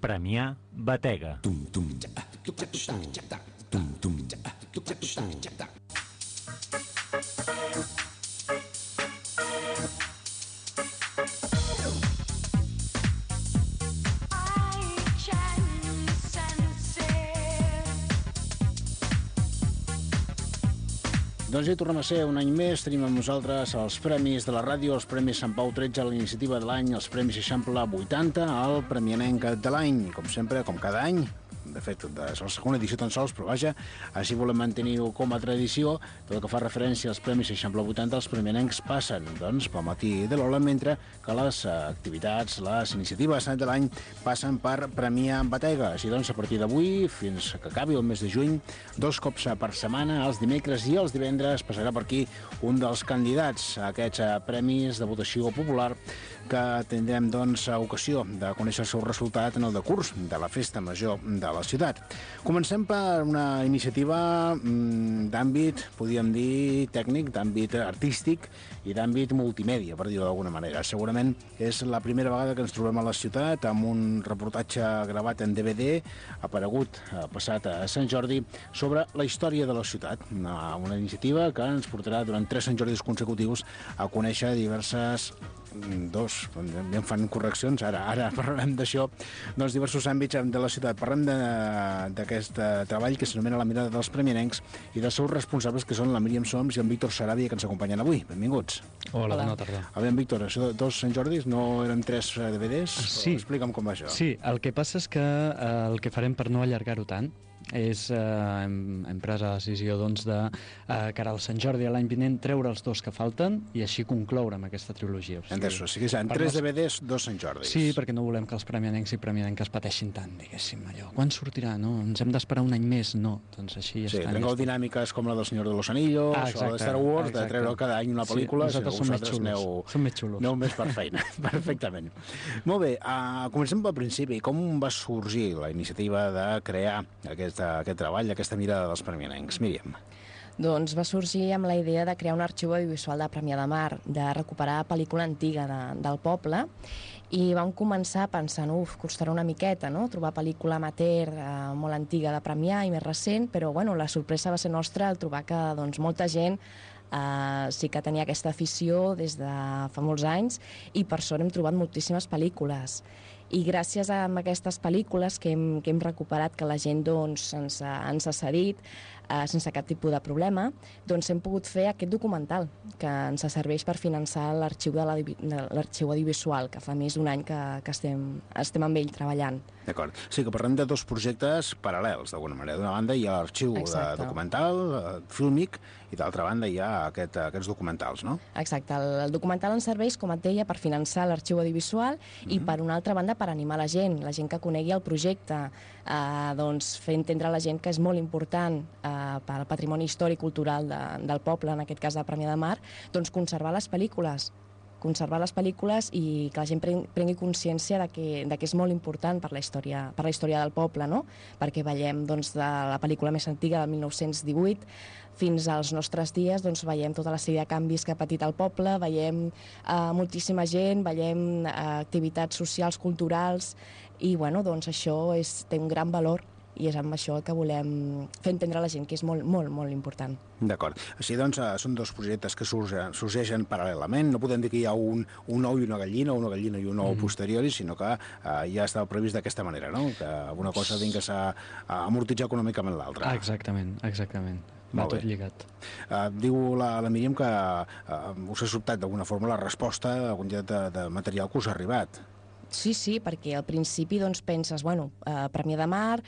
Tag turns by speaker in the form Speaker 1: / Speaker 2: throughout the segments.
Speaker 1: Premià Batega.
Speaker 2: Doncs ja tornem a ser un any més, tenim amb nosaltres els premis de la ràdio, els premis Sant Pau 13, la iniciativa de l'any, els premis Eixample 80, el Premianenc de l'any, com sempre, com cada any. De fet, és la segona edició tan sols, però vaja, així volem mantenir-ho com a tradició. Tot el que fa referència als Premis Eixample 80, els premianencs passen, doncs, pel matí de l'Ola, mentre que les activitats, les iniciatives de l'any passen per Premià Batega. Així doncs, a partir d'avui, fins que acabi el mes de juny, 2 cops per setmana, els dimecres i els divendres, passarà per aquí un dels candidats a aquests premis de votació popular que tindrem, doncs, ocasió de conèixer el seu resultat en el decurs de la Festa Major de la ciutat. Comencem per una iniciativa d'àmbit, podríem dir, tècnic, d'àmbit artístic i d'àmbit multimèdia, per dir-ho d'alguna manera. Segurament és la primera vegada que ens trobem a la ciutat amb un reportatge gravat en DVD, aparegut passat a Sant Jordi, sobre la història de la ciutat. Una iniciativa que ens portarà durant 3 Sant Jordis consecutius a conèixer em fan correccions, ara parlarem d'això, doncs diversos àmbits de la ciutat. Parlem d'aquest treball que s'anomena La mirada dels premianencs i dels seus responsables, que són la Míriam Soms i en Víctor Saràbia, que ens acompanyen avui. Benvinguts.
Speaker 3: Hola, bona tarda.
Speaker 2: A veure, Víctor, això de 2 Sant Jordis no eren 3 DVDs?
Speaker 3: Sí.
Speaker 2: Explica'm com va això.
Speaker 3: Sí, el que passa és que el que farem per no allargar-ho tant és, hem pres la decisió, doncs, de cara al Sant Jordi a l'any vinent treure els 2 que falten i així concloure amb aquesta trilogia.
Speaker 2: O sigui, seran 3 DVDs, 2 Sant Jordis.
Speaker 3: Sí, perquè no volem que els premianencs i premianenques pateixin tant, diguéssim, allò. Quan sortirà? No? Ens hem d'esperar un any més? No. Doncs així
Speaker 2: sí, trencau dinàmiques com la del Senyor de los Anillos o la de Star Wars, de treure cada any una pel·lícula.
Speaker 3: Sí, nosaltres som més xulos.
Speaker 2: Aneu més per feina, perfectament. Molt bé, comencem pel principi. Com va sorgir la iniciativa de crear aquest treball, aquesta mirada dels premianencs? Míriam.
Speaker 4: Doncs va sorgir amb la idea de crear un arxiu audiovisual de Premià de Mar, de recuperar pel·lícula antiga del poble, i vam començar pensant, costarà una miqueta, no?, trobar pel·lícula amateur molt antiga de Premià i més recent, però bueno, la sorpresa va ser nostra al trobar que, doncs, molta gent sí que tenia aquesta afició des de fa molts anys i per sort hem trobat moltíssimes pel·lícules. I gràcies a aquestes pel·lícules que hem recuperat, que la gent, doncs, ens ha cedit sense cap tipus de problema, doncs hem pogut fer aquest documental que ens serveix per finançar l'arxiu audiovisual, que fa més d'un any que estem amb ell treballant.
Speaker 2: D'acord. Sí, que parlem de 2 projectes paral·lels, d'alguna manera. D'una banda hi ha l'arxiu documental, fílmic, i d'altra banda hi ha aquests documentals, no?
Speaker 4: Exacte. El documental ens serveix, com et deia, per finançar l'arxiu audiovisual i, per una altra banda, per animar la gent que conegui el projecte, doncs fer entendre a la gent que és molt important pel patrimoni històric i cultural del poble, en aquest cas de Premià de Mar, doncs conservar les pel·lícules i que la gent prengui consciència de que és molt important per la història del poble, no? Perquè veiem, doncs, de la pel·lícula més antiga del 1918 fins als nostres dies, doncs veiem tota la sèrie de canvis que ha patit el poble, veiem moltíssima gent, veiem activitats socials, culturals, i bueno, doncs això té un gran valor i és amb això que volem fer entendre a la gent que és molt, molt, molt important.
Speaker 2: D'acord. Així doncs, són 2 projectes que sorgeixen paral·lelament. No podem dir que hi ha un ou i una gallina, o una gallina i un ou posteriori, sinó que ja estava previst d'aquesta manera, no? Que una cosa vingués a amortitzar econòmicament l'altra.
Speaker 3: Exactament. Va tot lligat.
Speaker 2: Diu la Míriam que us ha sobtat d'alguna forma la resposta a algun de material que us ha arribat.
Speaker 4: Sí, perquè al principi doncs, penses, Premià de Mar,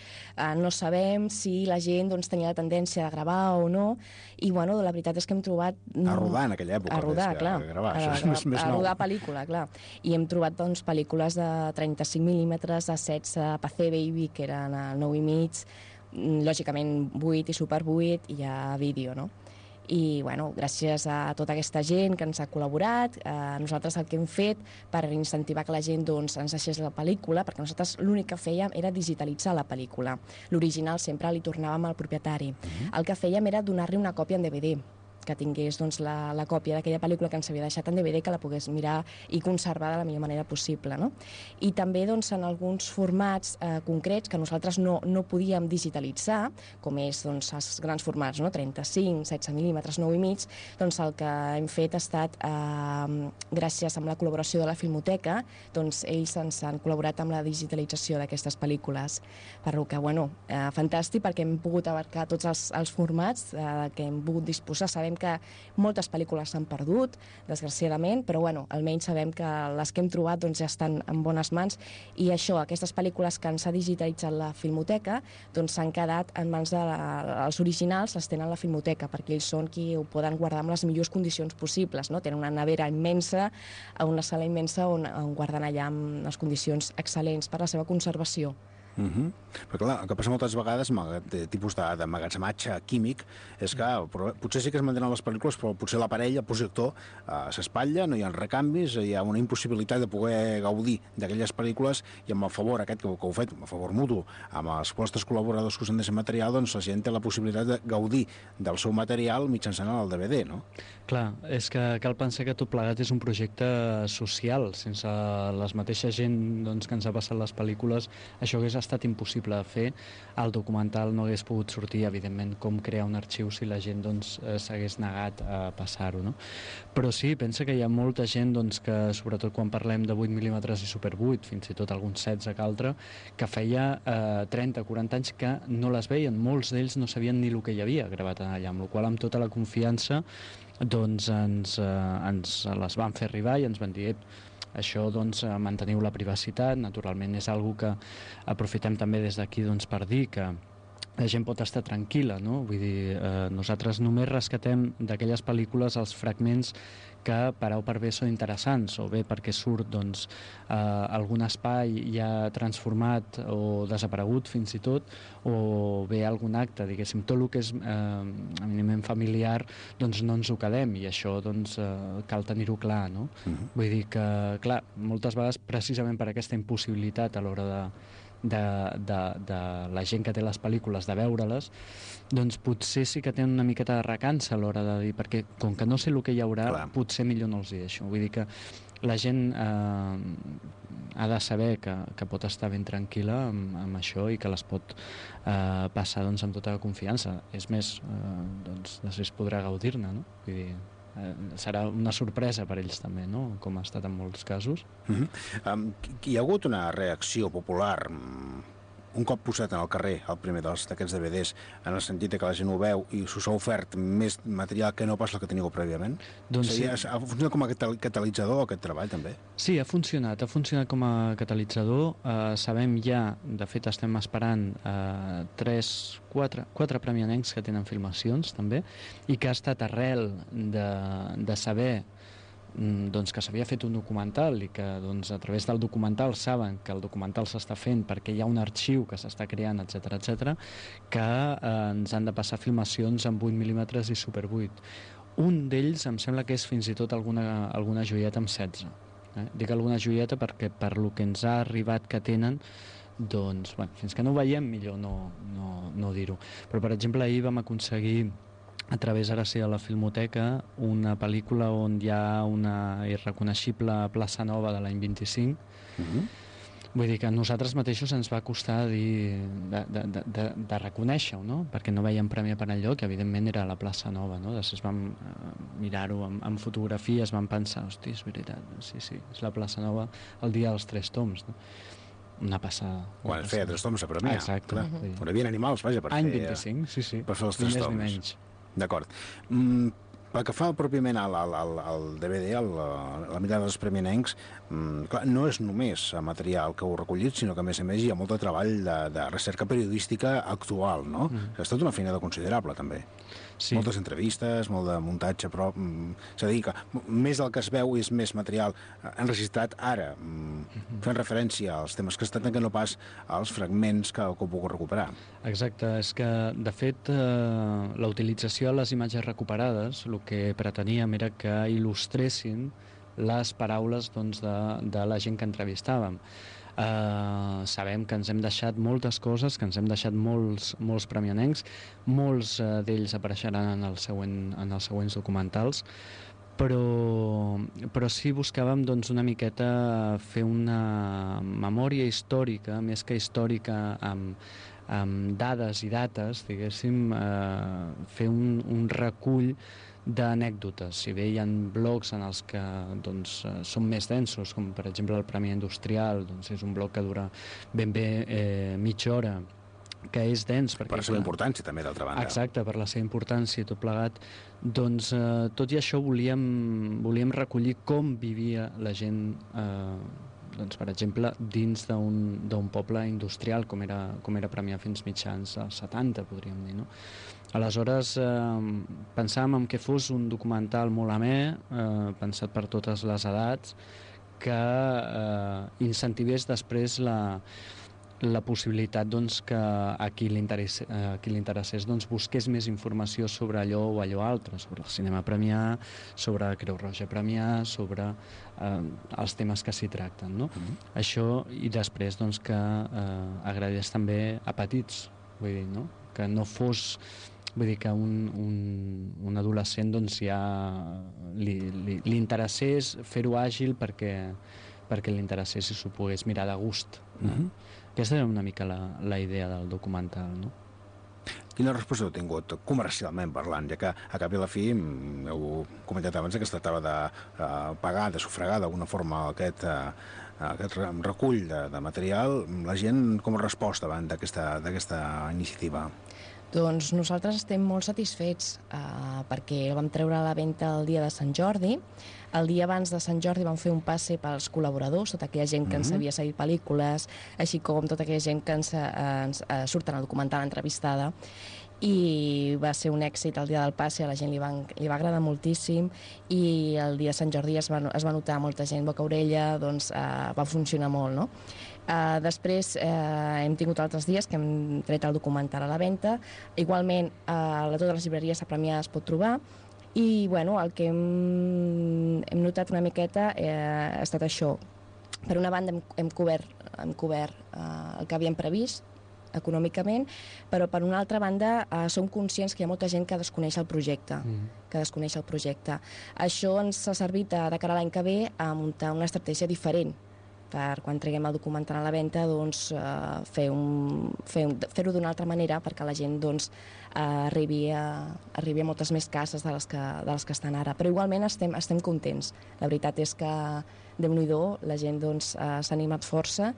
Speaker 4: no sabem si la gent tenia la tendència de gravar o no, i la veritat és que hem trobat...
Speaker 2: A rodar en aquella època.
Speaker 4: A rodar, clar.
Speaker 2: A gravar, això és més nou.
Speaker 4: A rodar pel·lícula, clar. I hem trobat pel·lícules de 35 mil·límetres, de 16, PC Baby, que eren a 9,5, lògicament 8 i Super 8, i hi ha vídeo, no? I gràcies a tota aquesta gent que ens ha col·laborat, nosaltres el que hem fet per incentivar que la gent ens deixés la pel·lícula, perquè nosaltres l'únic que fèiem era digitalitzar la pel·lícula. L'original sempre li tornàvem al propietari. El que fèiem era donar-li una còpia en DVD. que tingués doncs, la còpia d'aquella pel·lícula que ens havia deixat en DVD, que la pogués mirar i conservar de la millor manera possible. No? I també doncs, en alguns formats concrets que nosaltres no podíem digitalitzar, com és doncs, els grans formats, no? 35, 16 mil·límetres, 9,5, doncs el que hem fet ha estat, gràcies a la col·laboració de la Filmoteca, doncs ells ens han col·laborat amb la digitalització d'aquestes pel·lícules. Per lo que, bueno, fantàstic, perquè hem pogut abarcar tots els formats que hem pogut disposar. Sabem que moltes pel·lícules s'han perdut, desgraciadament, però bueno, almenys sabem que les que hem trobat doncs, ja estan en bones mans, i això, aquestes pel·lícules que ens ha digitalitzat la Filmoteca doncs s'han quedat en mans dels originals, les tenen la Filmoteca, perquè ells són qui ho poden guardar amb les millors condicions possibles, no? Tenen una nevera immensa, una sala immensa on guarden allà amb les condicions excel·lents per la seva conservació.
Speaker 2: Però clar, el que passa moltes vegades amb aquest tipus d'emmagatzematge químic és que potser sí que es mantenen les pel·lícules, però potser l'aparell, el projector, s'espatlla, no hi ha recanvis, hi ha una impossibilitat de poder gaudir d'aquelles pel·lícules, i amb el favor aquest que heu fet, a favor mutu, amb els vostres col·laboradors que us han deixat material, doncs la gent té la possibilitat de gaudir del seu material mitjançant el DVD, no?
Speaker 3: Clar, és que cal pensar que tot plegat és un projecte social. Sense les mateixa gent doncs, que ens ha passat les pel·lícules, això hagués estat impossible de fer. El documental no hagués pogut sortir, evidentment, com crear un arxiu si la gent doncs, s'hagués negat a passar-ho. No? Però sí, pensa que hi ha molta gent doncs, que, sobretot quan parlem de 8 mil·límetres i Super 8, fins i tot alguns 16 que altre, que feia 30-40 anys que no les veien. Molts d'ells no sabien ni el que hi havia gravat allà, amb la qual cosa, amb tota la confiança, doncs ens les van fer arribar i ens van dir això, doncs, manteniu la privacitat. Naturalment és algo que aprofitem també des d'aquí doncs, per dir que la gent pot estar tranquil·la, no? Vull dir, nosaltres només rescatem d'aquelles pel·lícules els fragments que per A o per B són interessants, o bé perquè surt doncs, algun espai ja transformat o desaparegut fins i tot, o bé algun acte, diguéssim, tot el que és eminentment familiar, doncs no ens ho quedem, i això doncs, cal tenir-ho clar, no? Vull dir que, clar, moltes vegades precisament per aquesta impossibilitat a l'hora de la gent que té les pel·lícules de veure-les, doncs potser sí que tenen una miqueta de recança a l'hora de dir, perquè com que no sé el que hi haurà, clar, potser millor no els hi deixo. Vull dir que la gent ha de saber que pot estar ben tranquil·la amb això i que les pot passar doncs, amb tota la confiança. És més, doncs, després podrà gaudir-ne, no? Vull dir, serà una sorpresa per ells també, no? Com ha estat en molts casos.
Speaker 2: Hi ha hagut una reacció popular un cop posat en el carrer el primer d'aquests DVDs, en el sentit que la gent ho veu i s'us ha ofert més material que no pas el que teníeu prèviament?
Speaker 3: Doncs sí.
Speaker 2: Ha funcionat com a catalitzador aquest treball també?
Speaker 3: Sí, ha funcionat com a catalitzador. Sabem ja, de fet estem esperant 4 premianencs que tenen filmacions també, i que ha estat arrel de saber doncs, que s'havia fet un documental i que doncs, a través del documental saben que el documental s'està fent perquè hi ha un arxiu que s'està creant, etc, que ens han de passar filmacions amb 8 mil·límetres i Super 8. Un d'ells em sembla que és fins i tot alguna joieta amb 16. Dic alguna joieta perquè per lo que ens ha arribat que tenen, doncs, bueno, fins que no ho veiem millor no dir-ho. Però per exemple ahir vam aconseguir a través, ara sí, de la Filmoteca, una pel·lícula on hi ha una irreconeixible plaça nova de l'any 25. Vull dir que a nosaltres mateixos ens va costar de reconèixer-ho, no? Perquè no veiem premi per enlloc, que evidentment era la plaça nova, no? Després vam mirar-ho amb fotografies, vam pensar, hosti, és veritat, sí, és la plaça nova el dia dels 3 toms, no? Una passada.
Speaker 2: Quan es feia 3 toms a premiar.
Speaker 3: Exacte.
Speaker 2: On hi havia animals, vaja, per fer...
Speaker 3: Any 25, sí.
Speaker 2: Per fer els 3 toms. D'acord. Pel que fa pròpiament al DVD, la mirada dels premianencs, clar, no és només material que heu recollit, sinó que a més hi ha molt de treball de recerca periodística actual, no? Ha estat una feina considerable, també. Sí. Moltes entrevistes, molt de muntatge, però és a dir, que més del que es veu és més material enregistrat ara, fent referència als temes que es tracten que no pas als fragments que heu pogut recuperar.
Speaker 3: Exacte, és que, de fet, la utilització de les imatges recuperades, el que preteníem era que il·lustressin les paraules doncs, de la gent que entrevistàvem. Sabem que ens hem deixat moltes coses, que ens hem deixat molts premianencs, molts d'ells apareixeran en els següents documentals, però sí buscàvem doncs, una miqueta fer una memòria històrica, més que històrica amb dades i dates, diguéssim, fer un recull d'anècdotes. Si bé hi ha blocs en els que doncs, són més densos, com per exemple el Premi Industrial, doncs és un bloc que dura ben bé mitja hora, que és dens.
Speaker 2: Per la seva importància, també, d'altra banda.
Speaker 3: Exacte, per la seva importància i tot plegat. Doncs tot i això volíem recollir com vivia la gent, doncs, per exemple, dins d'un poble industrial, com era Premià fins mitjans als 70, podríem dir, no? Aleshores, pensàvem en que fos un documental molt amè, pensat per totes les edats, que incentivés després la possibilitat doncs, que a qui li interessés doncs, busqués més informació sobre allò o allò altre, sobre el cinema premià, sobre Creu Roja premià, sobre els temes que s'hi tracten. No? Això, i després doncs, que agradés també a petits, vull dir, no? Que no fos... Vull dir que un adolescent doncs, ja li interessés fer-ho àgil perquè li interessés i s'ho pogués mirar de gust. No? Aquesta era una mica la idea del documental, no?
Speaker 2: Quina resposta heu tingut comercialment parlant, ja que a cap i a la fi, heu comentat abans que es tractava de pagar, de sufragar d'alguna forma aquest recull de material, la gent com a resposta davant d'aquesta iniciativa?
Speaker 4: Doncs nosaltres estem molt satisfets perquè el vam treure a la venda el dia de Sant Jordi. El dia abans de Sant Jordi vam fer un passe pels col·laboradors, tota aquella gent que ens havia seguit pel·lícules, així com tota aquella gent que ens surt en el documental entrevistada. I va ser un èxit el dia del passe, a la gent li va agradar moltíssim, i el dia de Sant Jordi es va notar molta gent boca-orella, doncs va funcionar molt, no? Després hem tingut altres dies que hem tret el documental a la venda. Igualment a totes les llibreries a Premià es pot trobar, i bueno, el que hem notat una miqueta ha estat això. Per una banda hem cobert el que havíem previst econòmicament, però per una altra banda som conscients que hi ha molta gent que desconeix el projecte, Això ens ha servit de cara a l'any que ve a muntar una estratègia diferent per quan treguem el documental a la venda, doncs, fer-ho d'una altra manera perquè la gent doncs, arribi a moltes més cases de les que estan ara. Però igualment estem contents. La veritat és que, Déu-n'hi-do, la gent doncs, s'ha animat força,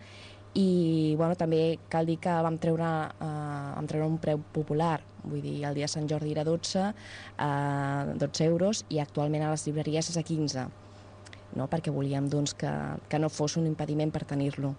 Speaker 4: i bueno, també cal dir que vam treure un preu popular, vull dir, el dia de Sant Jordi era 12 euros, i actualment a les llibreries és a 15, no? Perquè volíem doncs, que no fos un impediment per tenir-lo.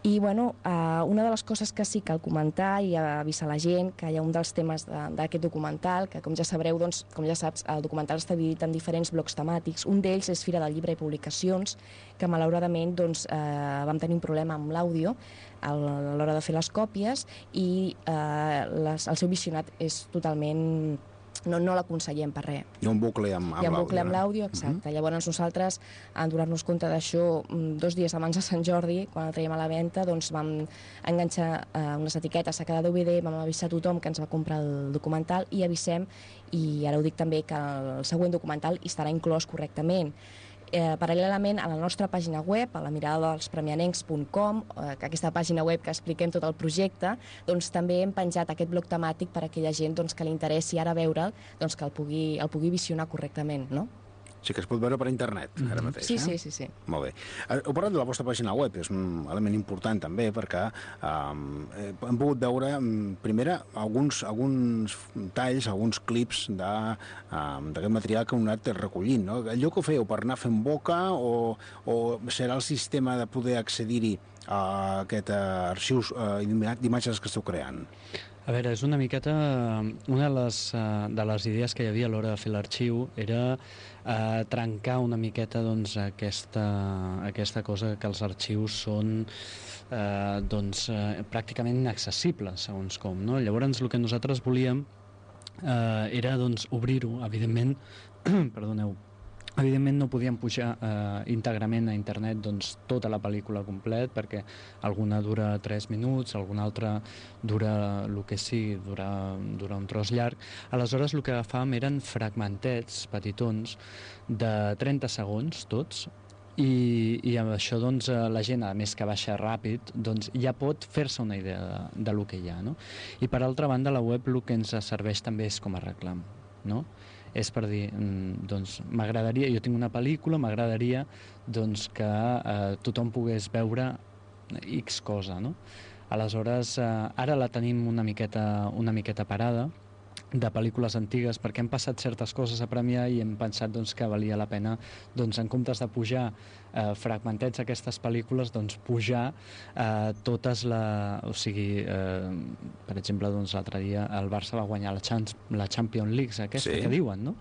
Speaker 4: I bueno, una de les coses que sí cal comentar i avisar la gent, que hi ha un dels temes d'aquest documental, que com ja sabreu, doncs, com ja saps, el documental està dividit en diferents blocs temàtics. Un d'ells és Fira del Llibre i Publicacions, que malauradament doncs, vam tenir un problema amb l'àudio a l'hora de fer les còpies, i el seu visionat és totalment... No l'aconsellem per res.
Speaker 2: Hi ha un bucle amb l'àudio.
Speaker 4: Hi ha un bucle amb l'àudio, exacte. Llavors nosaltres, en donar-nos compte d'això 2 dies abans de Sant Jordi, quan el traiem a la venda, doncs vam enganxar unes etiquetes a cada DVD, vam avisar a tothom que ens va comprar el documental, i avisem, i ara ho dic també, que el següent documental hi estarà inclòs correctament. Paral·lelament, a la nostra pàgina web, a la miradadelspremianencs.com, aquesta pàgina web que expliquem tot el projecte, doncs també hem penjat aquest bloc temàtic per a aquella gent doncs, que li interessi ara veure'l, doncs, que el pugui visionar correctament, no?
Speaker 2: Sí que es pot veure per internet, ara mateix.
Speaker 4: Sí.
Speaker 2: Molt bé. Heu parlat de la vostra pàgina web, és un element important també, perquè hem pogut veure, primera, alguns talls, alguns clips d'aquest material que heu anat recollint, no? Allò que ho fèieu per anar fent boca, o serà el sistema de poder accedir-hi a aquest arxiu d'imatges que esteu creant?
Speaker 3: A veure, és una miqueta... Una de les idees que hi havia a l'hora de fer l'arxiu era trencar una miqueta doncs, aquesta cosa que els arxius són pràcticament inaccessibles, segons com. No? Llavors, el que nosaltres volíem era doncs, obrir-ho, evidentment, perdoneu, Evidentment no podíem pujar íntegrament a internet doncs, tota la pel·lícula complet, perquè alguna dura 3 minuts, alguna altra dura el que sigui, dura un tros llarg. Aleshores el que agafàvem eren fragmentets petitons de 30 segons tots, i amb això doncs, la gent, a més que baixa ràpid, doncs, ja pot fer-se una idea de lo que hi ha. No? I per altra banda, la web el que ens serveix també és com a reclam. No? És per dir, doncs, m'agradaria, jo tinc una pel·lícula, m'agradaria doncs, que tothom pogués veure X cosa, no? Aleshores, ara la tenim una miqueta parada, de pel·lícules antigues, perquè han passat certes coses a premiar i hem pensat doncs, que valia la pena, doncs, en comptes de pujar fragmentets d'aquestes pel·lícules, doncs, pujar totes o sigui, per exemple, doncs, l'altre dia el Barça va guanyar la Champions League, aquesta que diuen, no?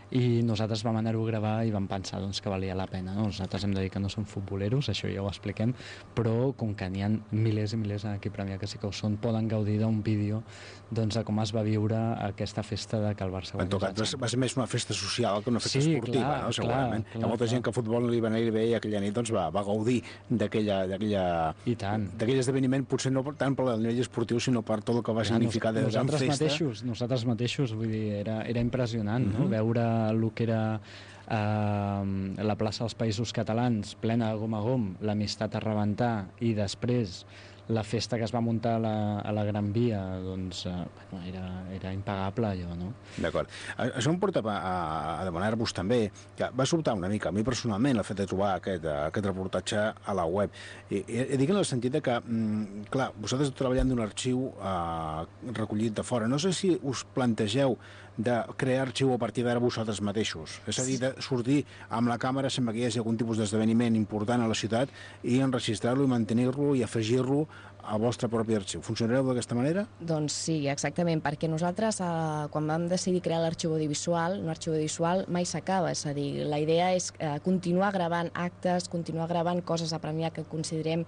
Speaker 3: I nosaltres vam anar-ho a gravar i vam pensar doncs, que valia la pena. No? Nosaltres hem de dir que no som futboleros, això ja ho expliquem, però com que n'hi ha milers i milers aquí a Premià que sí que ho són, poden gaudir d'un vídeo doncs, de com es va viure aquesta festa de que el Barça guanyés.
Speaker 2: En tot cas, va ser més una festa social que una festa esportiva, clar, no? Segurament. Clar, hi ha molta gent que a futbol li va anar bé i aquella nit doncs, va gaudir d'aquell esdeveniment, potser no tant per el nivell esportiu, sinó per tot el que va significar de gran festa.
Speaker 3: Nosaltres mateixos, vull dir, era impressionant, no? Veure el que era la plaça dels Països Catalans plena de gom a gom, l'amistat a rebentar, i després la festa que es va muntar a la Gran Via, doncs era impagable allò, no?
Speaker 2: D'acord. Això em porta a demanar-vos també, que va sobtar una mica a mi personalment el fet de trobar aquest reportatge a la web. I dic en el sentit de que, clar, vosaltres treballant d'un arxiu recollit de fora, no sé si us plantegeu de crear arxiu a partir d'ara vosaltres mateixos. És a dir, de sortir amb la càmera sempre que hi hagi algun tipus d'esdeveniment important a la ciutat i enregistrar-lo i mantenir-lo i afegir-lo al vostre propi arxiu. Funcionareu d'aquesta manera?
Speaker 4: Doncs sí, exactament, perquè nosaltres, quan vam decidir crear l'arxiu audiovisual, un arxiu audiovisual mai s'acaba, és a dir, la idea és continuar gravant actes, continuar gravant coses a premiar que considerem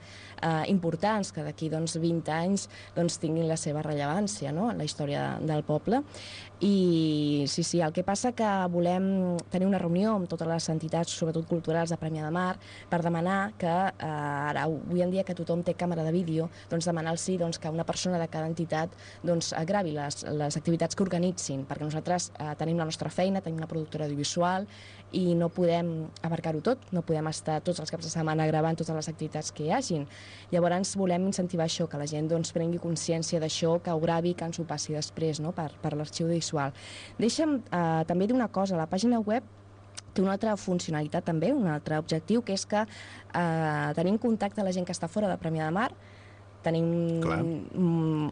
Speaker 4: importants, que d'aquí 20 anys tinguin la seva rellevància, no?, en la història del poble. I sí, el que passa que volem tenir una reunió amb totes les entitats, sobretot culturals de Premià de Mar, per demanar que ara, avui en dia que tothom té càmera de vídeo, demanar-los que una persona de cada entitat gravi les activitats que organitzin, perquè nosaltres tenim la nostra feina, tenim una productora audiovisual i no podem abarcar-ho tot, no podem estar tots els caps de setmana gravant totes les activitats que hi hagin. Llavors volem incentivar això, que la gent prengui consciència d'això, que ho gravi, que ens ho passi després, no?, per l'arxiu audiovisual. Deixa'm també dir una cosa, la pàgina web té una altra funcionalitat també, un altre objectiu, que és que tenim contacte amb la gent que està fora de Premià de Mar. Tenim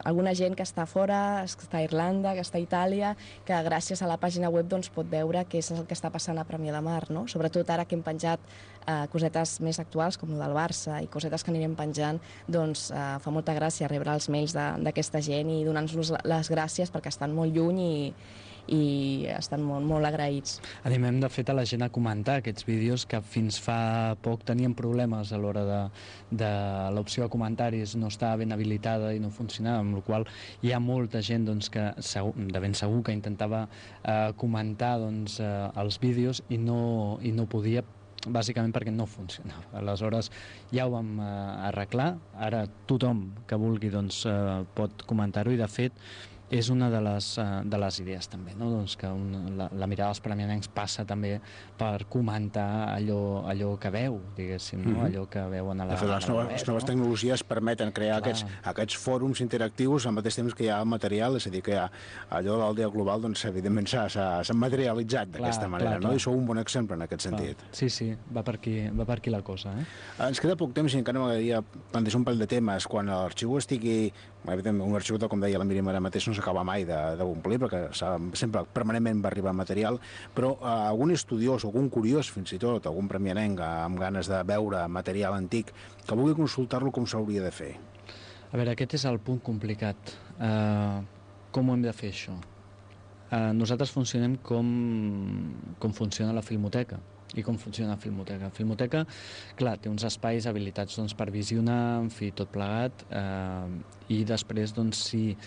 Speaker 4: alguna gent que està fora, que està a Irlanda, que està a Itàlia, que gràcies a la pàgina web pot veure què és el que està passant a Premià de Mar, no? Sobretot ara que hem penjat cosetes més actuals, com el del Barça, i cosetes que anirem penjant, fa molta gràcia rebre els mails d'aquesta gent i donar-nos les gràcies perquè estan molt lluny i estan molt agraïts.
Speaker 3: Animem, de fet, a la gent a comentar aquests vídeos que fins fa poc tenien problemes a l'hora de l'opció de comentaris, no estava ben habilitada i no funcionava, amb la qual hi ha molta gent que de ben segur que intentava comentar els vídeos i no podia, bàsicament perquè no funcionava. Aleshores ja ho vam arreglar, ara tothom que vulgui pot comentar-ho, i de fet és una de les idees també, no? Que la mirada dels premianencs passa també per comentar allò que veu, diguéssim, no? Allò que veuen a la web.
Speaker 2: Les noves tecnologies permeten crear aquests fòrums interactius al mateix temps que hi ha material, és a dir, que allò de l'aldea global, evidentment s'ha materialitzat d'aquesta manera, no? I sou un bon exemple en aquest sentit.
Speaker 3: Sí, va per aquí la cosa.
Speaker 2: Ens queda poc temps i encara m'agradaria plantejar un parell de temes. Quan l'arxiu estigui, un arxiu, com deia la Míriam ara mateix, no s'acaba mai d'omplir, perquè sempre permanentment va arribar material, però algun estudiós, algun curiós, fins i tot, algun premianenc amb ganes de veure material antic, que vulgui consultar-lo, com s'hauria de fer?
Speaker 3: A veure, aquest és el punt complicat. Com ho hem de fer, això? Nosaltres funcionem com funciona la Filmoteca. I com funciona la Filmoteca? La Filmoteca, clar, té uns espais habilitats doncs, per visionar, en fi, tot plegat, i després, doncs, si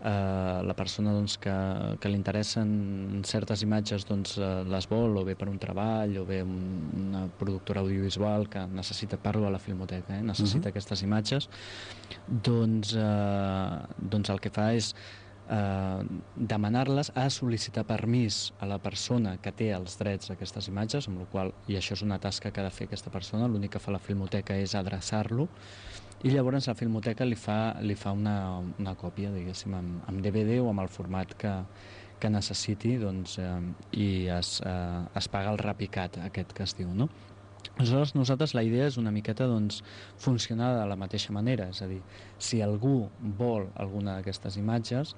Speaker 3: la persona doncs, que li interessen certes imatges doncs, les vol, o bé per un treball, o bé una productora audiovisual que necessita, parlo a la Filmoteca, necessita aquestes imatges, doncs el que fa és demanar-les, a sol·licitar permís a la persona que té els drets d'aquestes imatges, amb la qual, i això és una tasca que ha de fer aquesta persona, l'únic que fa la Filmoteca és adreçar-lo, i llavors la Filmoteca li fa una còpia, diguéssim, amb DVD o amb el format que necessiti, doncs, i es paga el repicat, aquest que es diu, no? Aleshores, nosaltres la idea és una miqueta doncs, funcionar de la mateixa manera, és a dir, si algú vol alguna d'aquestes imatges,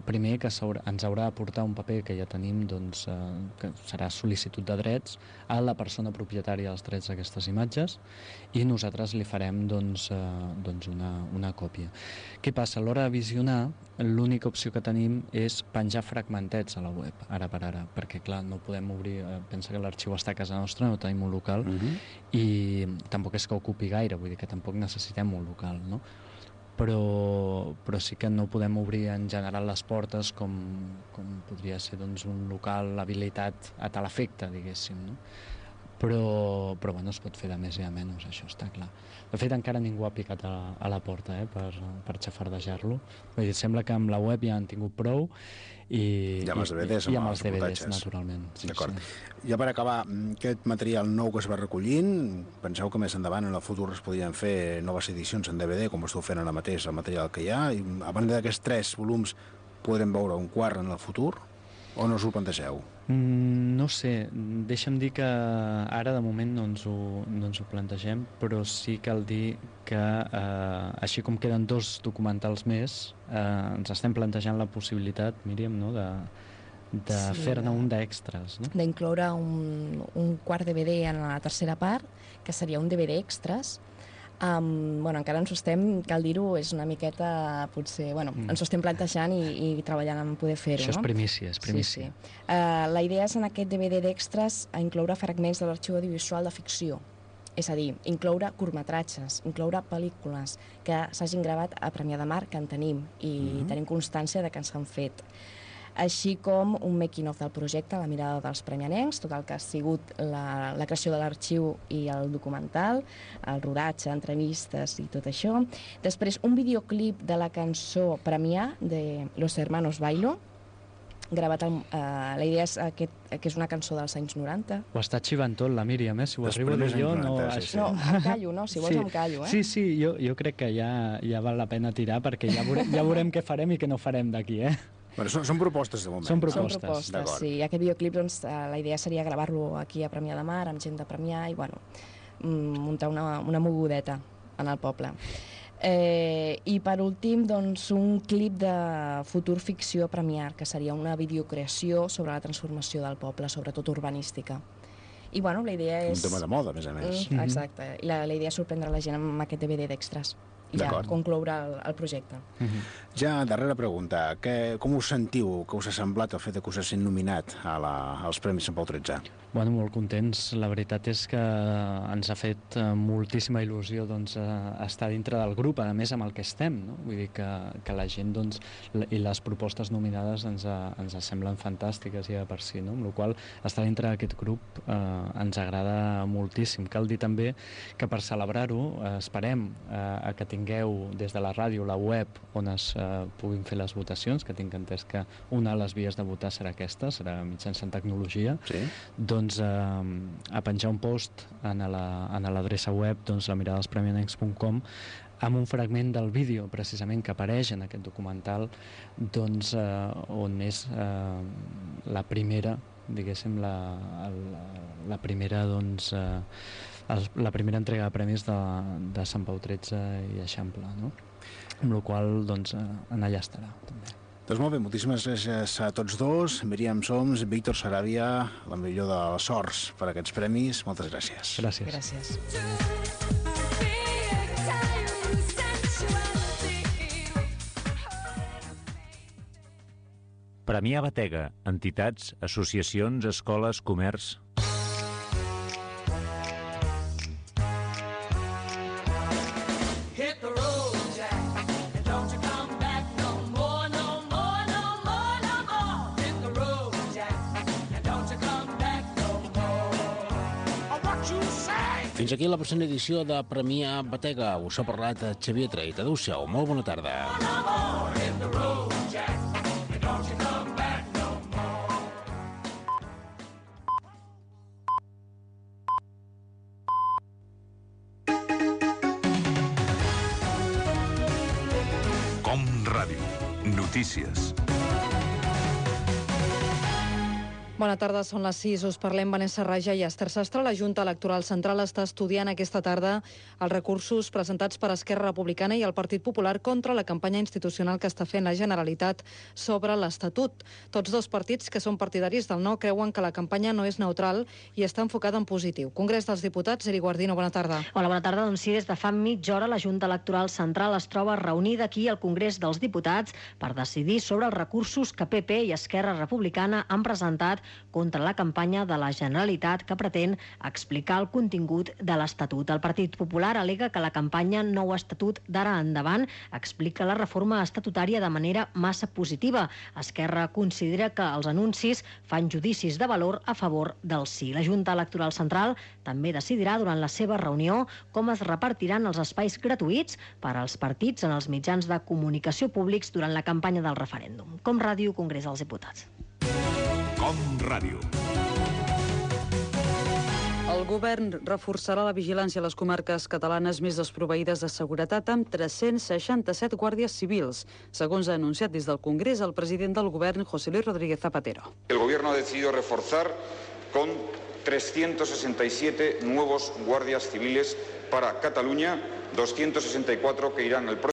Speaker 3: primer que ens haurà de portar un paper que ja tenim, doncs, que serà sol·licitud de drets a la persona propietària dels drets d'aquestes imatges, i nosaltres li farem doncs, una còpia. Què passa? A l'hora de visionar, l'única opció que tenim és penjar fragmentets a la web, ara per ara, perquè clar, no podem obrir, pensa que l'arxiu està a casa nostra, no tenim un local, i tampoc és que ocupi gaire, vull dir que tampoc necessitem un local, no? Però sí que no podem obrir en general les portes com podria ser doncs, un local habilitat a tal efecte, diguéssim, no? Però bueno, es pot fer de més i de menys, això està clar. De fet, encara ningú ha picat a la porta per xafardejar-lo. Vull dir, sembla que amb la web ja han tingut prou i
Speaker 2: amb els DVDs,
Speaker 3: amb els DVDs, naturalment. Sí,
Speaker 2: d'acord.
Speaker 3: Sí.
Speaker 2: Ja per acabar, aquest material nou que es va recollint, penseu que més endavant en el futur es podrien fer noves edicions en DVD, com esteu fent ara mateix el material que hi ha, i a banda d'aquests 3 volums podrem veure un quart en el futur, o no us ho plantegeu?
Speaker 3: No sé, deixa'm dir que ara de moment no ens ho plantegem, però sí cal dir que així com queden 2 documentals més, ens estem plantejant la possibilitat, Míriam, no?, de fer-ne un d'extras, no?
Speaker 4: D'incloure un quart DVD en la tercera part, que seria un DVD extras. Encara ens ho estem, cal dir-ho, és una miqueta, potser, ens ho estem plantejant i treballant en poder fer-ho, no?
Speaker 3: Això és primícia, és primícia.
Speaker 4: Sí. La idea és en aquest DVD d'extras incloure fragments de l'arxiu audiovisual de ficció, és a dir, incloure curtmetratges, incloure pel·lícules que s'hagin gravat a Premià de Mar, que en tenim, i tenim constància de que ens han fet. Així com un making-of del projecte, la mirada dels premianencs, tot el que ha sigut la creació de l'arxiu i el documental, el rodatge, entrevistes i tot això. Després, un videoclip de la cançó Premià de Los Hermanos Bailo, gravat la idea és que és una cançó dels anys 90.
Speaker 3: Ho està xivant tot la Míriam, si ho arribo a dir jo, no...
Speaker 4: No, em callo, no? Si vols em callo,
Speaker 3: Sí, jo crec que ja val la pena tirar, perquè ja veurem què farem i què no farem d'aquí,
Speaker 2: Bueno, són propostes de moment.
Speaker 3: Són propostes,
Speaker 4: sí. I aquest videoclip, doncs, la idea seria gravar-lo aquí a Premià de Mar, amb gent de Premià, i, muntar una mogudeta en el poble. I, per últim, doncs, un clip de futur ficció a Premià, que seria una videocreació sobre la transformació del poble, sobretot urbanística. I, la idea és...
Speaker 2: Un tema de moda, a més a més.
Speaker 4: Exacte. I la idea és sorprendre la gent amb aquest DVD d'extras. I ja concloure el projecte.
Speaker 2: Ja, darrera pregunta. Com us sentiu, que us ha semblat el fet que us hagin nominat als Premis Sant Pau XIII?
Speaker 3: Molt contents. La veritat és que ens ha fet moltíssima il·lusió estar dintre del grup, a més amb el que estem, no? Vull dir que la gent i les propostes nominades ens semblen fantàstiques ja per si, no? Amb la qual cosa estar dintre d'aquest grup ens agrada moltíssim. Cal dir també que per celebrar-ho esperem que tingueu des de la ràdio la web on es puguin fer les votacions, que tinc entès que una de les vies de votar serà aquesta, serà mitjançant tecnologia.
Speaker 2: Sí.
Speaker 3: Doncs a penjar un post a l'adreça web lamiradadelspremianencs.com amb un fragment del vídeo precisament que apareix en aquest documental, doncs on és la primera, diguéssim, la primera la primera entrega de premis de Sant Pau XIII i Eixample, no? Amb la qual cosa, en allà estarà, també.
Speaker 2: Doncs molt bé, moltíssimes gràcies a tots dos. Míriam Soms, Víctor Saràbia, la millor de les sorts per aquests premis. Moltes gràcies.
Speaker 3: Gràcies.
Speaker 1: Premià Batega, entitats, associacions, escoles, comerç...
Speaker 2: Fins aquí la present edició de Premià Batega. Us ha parlat Xavier Treit. Adéu-siau, molt bona tarda.
Speaker 5: Ràdio. Notícies.
Speaker 6: Bona tarda, són les 6. Us parlem Vanessa Raja i Esther Sastre. La Junta Electoral Central està estudiant aquesta tarda els recursos presentats per Esquerra Republicana i el Partit Popular contra la campanya institucional que està fent la Generalitat sobre l'Estatut. Tots dos partits, que són partidaris del no, creuen que la campanya no és neutral i està enfocada en positiu. Congrés dels Diputats, Eri Guardino, bona tarda.
Speaker 7: Hola, bona tarda. Doncs sí, des de fa mitja hora la Junta Electoral Central es troba reunida aquí al Congrés dels Diputats per decidir sobre els recursos que PP i Esquerra Republicana han presentat contra la campanya de la Generalitat que pretén explicar el contingut de l'Estatut. El Partit Popular al·lega que la campanya Nou Estatut d'ara endavant explica la reforma estatutària de manera massa positiva. Esquerra considera que els anuncis fan judicis de valor a favor del sí. La Junta Electoral Central també decidirà durant la seva reunió com es repartiran els espais gratuïts per als partits en els mitjans de comunicació públics durant la campanya del referèndum. Com Ràdio, Congrés dels Diputats.
Speaker 5: Com Ràdio.
Speaker 6: El govern reforçarà la vigilància a les comarques catalanes més desproveïdes de seguretat amb 367 guàrdies civils, segons ha anunciat des del Congrés el president del govern, José Luis Rodríguez Zapatero.
Speaker 8: El gobierno ha decidido reforzar con 367 nuevos guardias civiles para Cataluña, 264 que irán el próximo